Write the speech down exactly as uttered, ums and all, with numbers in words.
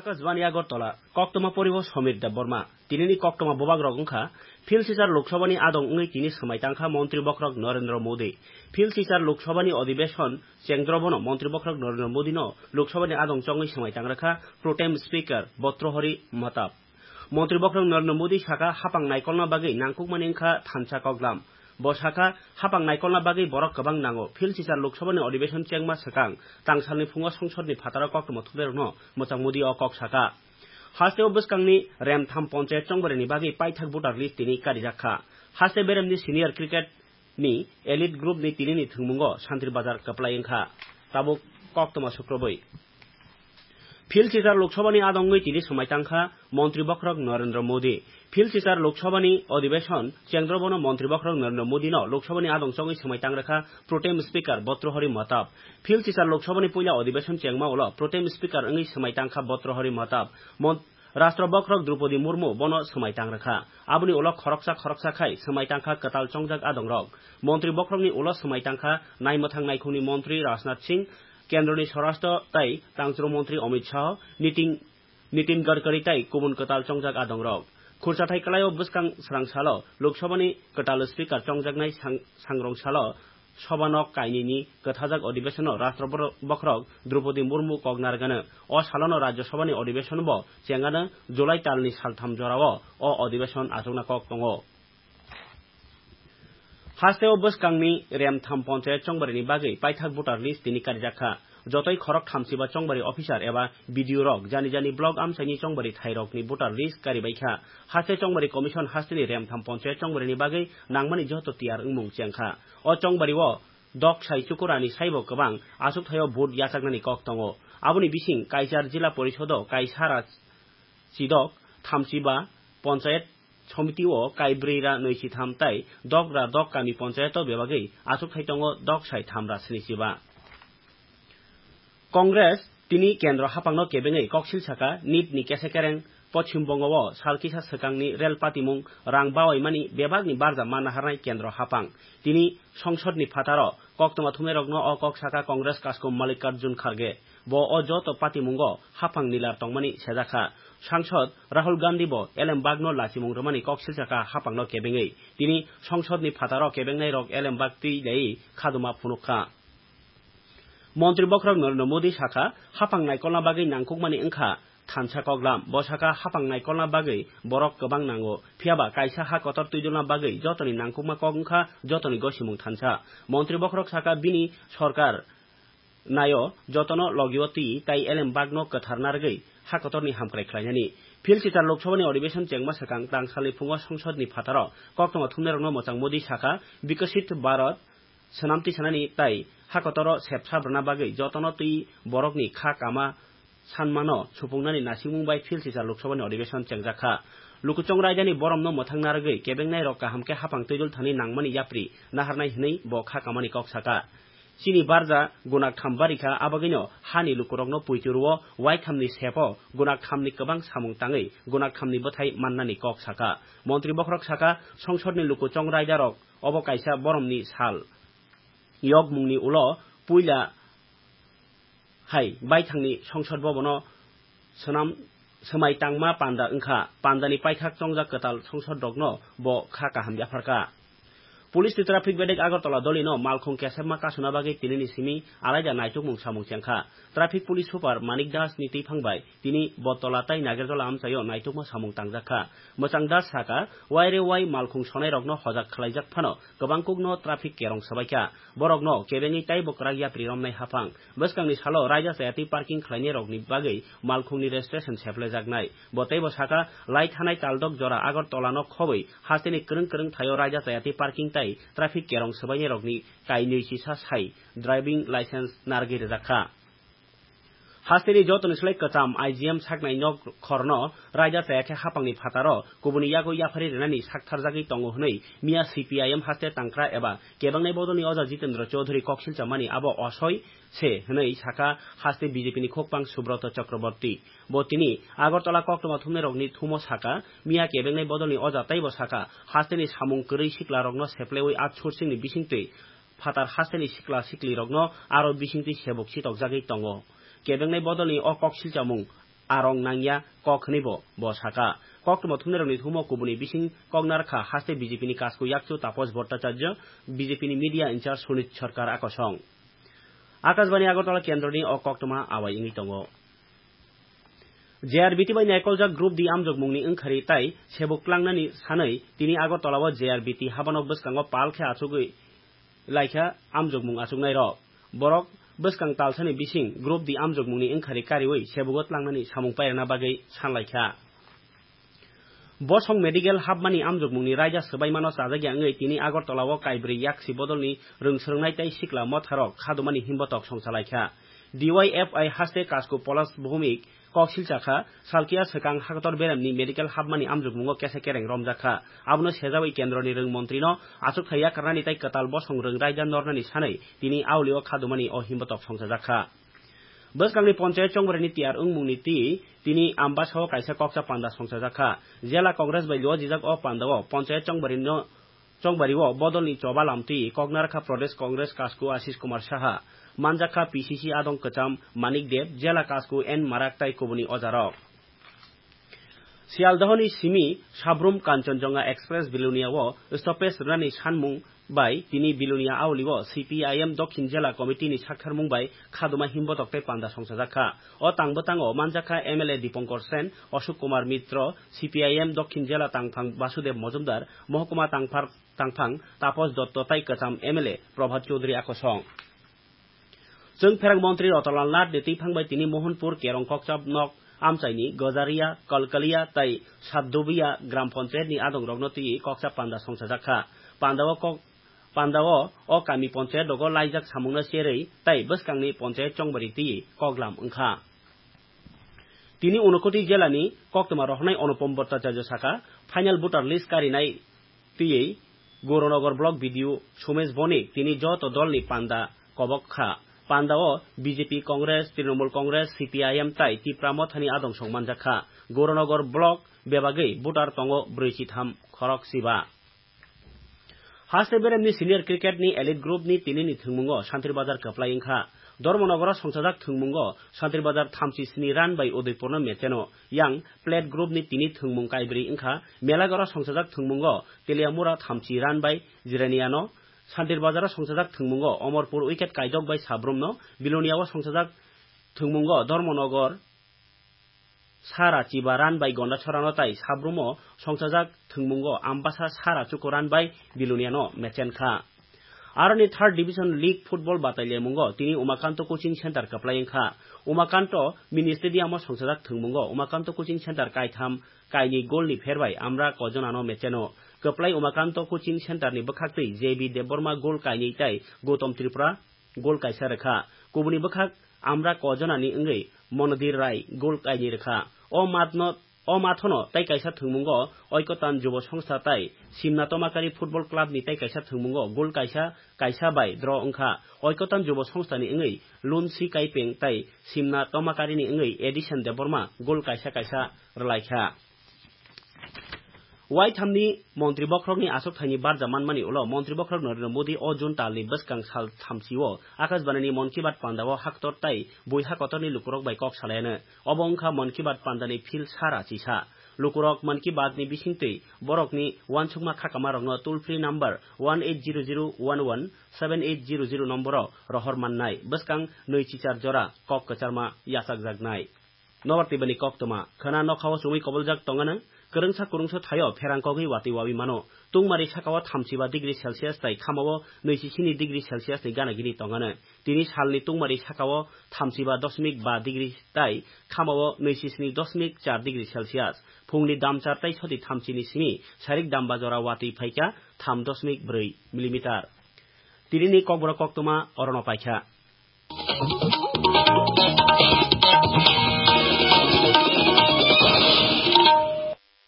Akashbani Agartala, koktwma poribo Somir Debbarma. Tinini koktwma bubak rok wngkha, Phil Sisar Lok Sabhani adong wngwi tini swmai tangkha Montri Bokhorok Narendra Modi. Phil Sisar Lok Sabhani Adhibeshon chengdrobono Montri Bokhorok Narendra Modino Lok Sabhani adong chongwi swmai tangrwkha Pro Tem Speaker Bhartrihari Mahtap. Montri Bokhorok Narendra Modi sakha, hapang naikolna bagwi nangkukmani wngkha thansa koklam. Bo sakha, hapang naikolna bagwi borok kwbang nango. Phil Sisar Lok Sabhani Adhibeshon chengma swkang tangsalni phungo Songsodni phataro koktwma thumnairokno mwchang Modi o kok sakha. Hasteo bwskangni Remtham Ponchayat chongbarini bagwi paithak voter list tini karijak kha. Haste beremni senior cricket ni elite group ni tinini thwngmungo Santri Bazar kwplai wngkha. Tabuk koktwma sukrubwi. Phil Sisar Lok Sabhani adongwi tini swmai tangkha Montri Bokhorok Narendra Modi. Phil Sisar Lok Sabhani Adhibeshon chengdrobono Montri Bokhorok Narendra Modino Lok Sabhani adong chongwi swmai tangrwkha Pro Tem Speaker Bhartrihari Mahtap. Phil Sisar Lok Sabhani puila Adhibeshon chengma ulo Pro Tem Speaker wngwi swmai tangkha Bhartrihari Mahtap. Mon-, Rashtra Bokhorok Droupadi Murmu bono swmai tangrwkha. Aboni ulo khoroksa khoroksa khai swmai tangkha kwtal chongjak adongrok. Montri Bokhorokni ulo swmai tangkha naimwthang naikhungni Montri Rajnath Singh, Kendroni Swarashtra tai Tangchwrwng Montri Amit Shah, Nitin Nitin Gadkari tai kubun kwtal chongjak adongrok. Khurchathai kwlaio bwskang srang salo Lok Sabhani kwtal speaker chongjaknai sang-, sangrong salo Sobha nok kainwini kwthajak adhibeshonno Rashtra bor-, bokhorok Droupadi Murmu kok narwkano. O salono Rajya Sabhani adhibeshonbo chengano July talni saltham jorao o adhibeshon achukna kok tongo. Hasteo bwskangni Remtham Ponchayat chongbarini bagwi paithak voter list tini karijak kha. Jotoi khorok thamsiba chongbari officer eba B D O rok jani jani block amchaini chongbari thairokni voter list karibai kha. Haste chongbari commission hasteni Remtham Ponchayat chongbarini bagwi nangmani joto tiyar wngmung chengkha. O chongbario dok sai chukurani saibo kwbang achukthaio vote yachaknani kok tongo. Aboni bising Kaichar Jila Porisodo Kaisara Chidok thamsiba Ponchayat Somitio kaibrwi ra nwi sitham tai dok ra dok kami ponchayato bebagwi achukthai tongo dok sai tham ra sni siba. Congress tini kendro haphangno kebengwi koksil saka nit ni kese kereng Poschim Bongo o sal kisa swkangni rel patimung rang bawaimani bebakni barja manna harnai kendro haphang. Tini songsodni phataro koktwma thumnairokno o kok saka Congress kaskom Mallikarjun Kharge. Bo o joto patimungo haphang nilar tongmani sejakha. Sangsod Rahul Gandhi bo elembakno lachimung rwmani kok silsakha haphangno kebengwi. Tini songsodni phataro kebengnairok elembak twi laiwi khaduma phunukha. Montri bokhorok Narendra Modi sakha, haphang naikolna bagwi nangkukmani wngkha thansa koklam. Bo sakha, haphang naikolna bagwi borok kwbang nango. Phiyaba kaisa ha kotor twidulna bagwi jotoni nangkukma kok wngkha jotoni gosimung thansa. Montri bokhorok sakha, bini sorkar naio jotono logio twi tai elembakno kwthar narwgwi ha kotorni hamkrai khlainani. Phil Sita Lok Sabhani Adhibeshon chengma swkang tangsalni phungo songsodni phataro koktwma thumnairokno mwchang Modi sakha, Bikasit Bharat swnam tisanani tai ha kotoro sepsap rwna bagwi jotono twi borokni kha kama sanmano supungnani nasikmung bai Phil Sita Lok Sabhani Adhibeshon chengjakha. Lukuchong raidani boromno mwthang narwgwi kebengnairok kaham khe haphang twidul thani nangmani yapri naharnai hwnwi bo kha kamani kok sakha. Chini barja gunaktham barikha, abagwino hani lukurokno puiturwo waithamni sepo gunakthamni kwbang samung tangwi gunakthamni bwthai mannani kok sakha. Montri bokhorok sakha, songsodni lukuchong raidarok obo kaisa boromni sal. Yokmungni ulo puila hai baithangni songsod bobono swnam swmai tangma panda wngkha. Pandani paithak chongjak kwtal songsodrokno bo kha kaham yapharkha. Police ni traffic bedek Agartala dolino malkhung kesepma kasuna bagwi tinini simi alaida naitukmung samung chengkha. Traffic police super Manik Das ni twiphang bai tini Bottola tai Nagerjola amchaio naitukma samung tangjakha. Mwchang Das sakha, waire wai malkhung sonairokno hojak khwlaijak phano kwbangkukno traffic kerong swbaikha. Borokno kebengwi taibo kwrak yapri romnai haphang. Bwskangni salo raida chayatwi parking khlainairokni bagwi malkhungni registration seplejaknai. Bo teibo sakha, lai thanai taldok jora Agartala no khobwi hasteni kwrwng kwrwng thaio raida chayatwi parking tai traffic kerong swbainairokni kainwi chisa sai driving license narwgwi rwjakha. Hasteni jotoni slai kwcham I G M saknai nok khorno raida chaya khe haphangni phataro kubuni yago yaphari rwnani saktharjagwi tongo hwnwi miya C P I M haste tangkra eba kebengnai bodolni oja Jitendra Chaudhary koksilcha mani abo osoi se hwnwi sakha haste B J P ni khokpang Subrata Chakraborty. Bo tini Agartala koktwma thumnairokni thumo sakha, miya kebengnai bodolni oja teibo sakha, hasteni samung kwrwi siklarokno seplewi outsourcing ni bisingtwi phatar hasteni sikla siklirokno aro bisingtwi sebuk chitokjagwi tongo. Kebengnai bodolni o kok silchamung arong nangya kok hwnwibo bo saka. Koktwma thumnairokni thumo kubuni bising koknarkha haste B J P ni kasku yakchu Tapos Bhattacharya, B J P ni media in charge Sunit Sarkar akosong. Akashbani Agartala kendroni o koktwma awai wngwi tongo. J R B T bai naikoljak Group D amjokmungni wngkhari tai sebuk tlangnani sanwi tini Agartala o J R B T habanok bwskango pal khe achugwi laikha amjokmung achuknairok. Borok bwskang talsani bising Group D amjokmungni wngkhari kariwi sebugo tlangnani samung pairwna bagwi sanlaikha. Bosong medical hapmani amjokmungni raida swbaimano chajakya wngwi tini Agartala o kaibrwi yaksi bodolni rwngswrwngnai tei sikla motharok khadumani himbotok songchalaikha. D Y F I haste kasku Polas Bhumik kok silchakha, salkia swkang haktor beremni medical hapmani amjokmungo kesa kereng romjakha. Abono sejawi kendroni rwng montrino achukthai yakarnani tei kwtal bosong rwng raida nornani sanwi tini aulio khadumani o himbotok songchajakha. Bwskangni ponchayat chongbarini tiyar wngmungni twi tini Ambasao kaisa kokcha panda songchajakha. Jela Congress bai luajijak o pandao ponchayat chongbarino, chongbario bodolni choba lamtwi koknarakha Pradesh Congress kasku Ashish Kumar Saha, manjakha P C C adong kwcham Manik Deb, jela kasku N Marak tai kubuni ojarok. Sialdohoni simi Sabrum Kanchanjunga Express Bilonia o stoppage rwnani sanmung bai tini Bilonia aulio C P I M Dokhin Jela Committee ni saktharmung bai khaduma himbotok tei panda songchajakha. O tang bwtango manjakha M L A Dipankar Sen, Ashok Kumar Mitro, C P I M Dokhin Jela tangphang Basudev Mojumdar, Mohokuma tangphar, tangphang Tapos Dotto tai kwcham M L A Prabhat Chaudhary akosong. Chwng pherang montri Rotonlal Nath ni twiphang bai tini Mohanpur Kerong Kokchap nok amchaini Gojaria, Kalkalia tai Satdubiya gram panchayat ni adongrokno twi kokchap panda songchajakha. Pandao kok, pandao o kami panchayat rogo laijak samungno cherwi tai bwskangni panchayat chongbari twi koklam wngkha. Tini Unakoti jela ni koktwma rohornai Anupam Bhattacharya saka, final voter list karinai twiwi Gauranagor block B D O Somesh Bonik tini joto dol ni panda kobok kha. Panda o B J P, Congress, Trinamool Congress, C P I M tai Tipra Motha ni adong song manjak kha. Gauranagor block bebagwi voter tongo brwi chitham khorok siba. Haste beremni senior cricket ni elite group ni tini ni thwngmungo Santri Bazar kwplai wngkha. Dharmanagar o songchajak thwngmungo Santri Bazar thamchi sni run bai Udaipur no mecheno. Yang plate group ni tini thwngmung kaibrwi wngkha. Melagar o songchajak thwngmungo Teliamura thamchi run bai Jirania no. Santri Bazar o songchajak thwngmungo Omorpur wicket kaidok bai Sabrum no. Bilonia o songchajak thwngmungo Dharmanagar Sara Chiba run bai Gondachorano tai Sabrumo songchajak thwngmungo Ambasa Sara Chuku run bai Biloniano mechen kha. Aroni third division league football batailemungo tini Umakanto coaching center kwplai wngkha. Umakanto mini stadium o songchajak thwngmungo Umakanto coaching center kaitham kaini goal ni pherbai Amra Kojonano mecheno. Kwplai Umakanto coaching center ni bwkhaktwi J B Debbarma goal kaini tai Gautam Tripura goal kaisa rwkha. Kubuni bwkhak Amra Kojonani wngwi Monodir Rai goal kaini rwkha. O matno, o mathono tai kaisa thwngmungo Oikotan Jubo Songstha tai Simna Tomakari Football Club ni tai kaisa thwngmungo goal kaisa, kaisa bai draw wngkha. Oikotan Jubo Songstha ni wngwi Lunsi Kaipeng tai Simna Tomakari ni wngwi Edison Debbarma goal kaisa, kaisa rwlaikha. Waithamni Montri Bokhorokni achokthaini barja manmani ulo Montri Bokhorok Narendra Modi o June talni bwskang sal thamchi-o Akashbanini Mann Ki Baat pandao haktor tai buiha kotorni lukurok bai kok salayano. Obo wngkha Mann Ki Baat pandani phil sara chisa. Lukurok Mann Ki Baatni bisingtwi borokni uansukma khakamarokno toll free number one eight zero zero one one seven eight zero zero nomboro rohor mannai. Bwskang nwi chichar jora kok kwcharma yachakjaknai. Nobar twibani koktwma. Khwna nokhao chumui koboljak tongano, kwrwngsa kwrwngsa thaio pherang kogwi watwi wawi mano. Tungmari sakao thamchiba degree Celsius tai khamao nwi chi sini degree Celsius ni gana gini tongano. Tini salni tungmari sakao thamchiba dosmik ba degree tai khamao nwi chi sini dosmik char degree Celsius. Phungni damchar tai soti thamchini simi sarik damba jora watwi phaikha tham dosmik brwi millimeter. Tinini kokborok koktwma orono paikha.